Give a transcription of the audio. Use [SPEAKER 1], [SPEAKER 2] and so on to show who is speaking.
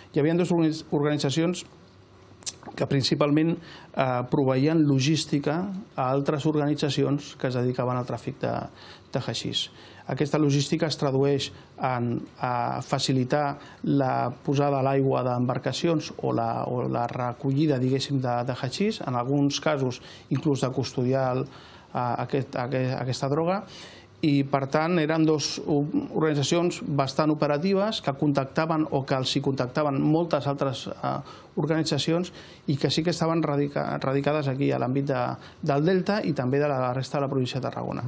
[SPEAKER 1] Hi havia dues organitzacions que principalment proveïen logística a altres organitzacions que es dedicaven al tràfic de haixís. Aquesta logística es tradueix en facilitar la posada a l'aigua d'embarcacions o la recollida, diguéssim, de haixís, en alguns casos inclús de custodiar aquesta droga, i per tant eren dues organitzacions bastant operatives que contactaven o que els hi contactaven moltes altres organitzacions i que sí que estaven radicades aquí a l'àmbit del Delta i també de la resta de la província de Tarragona.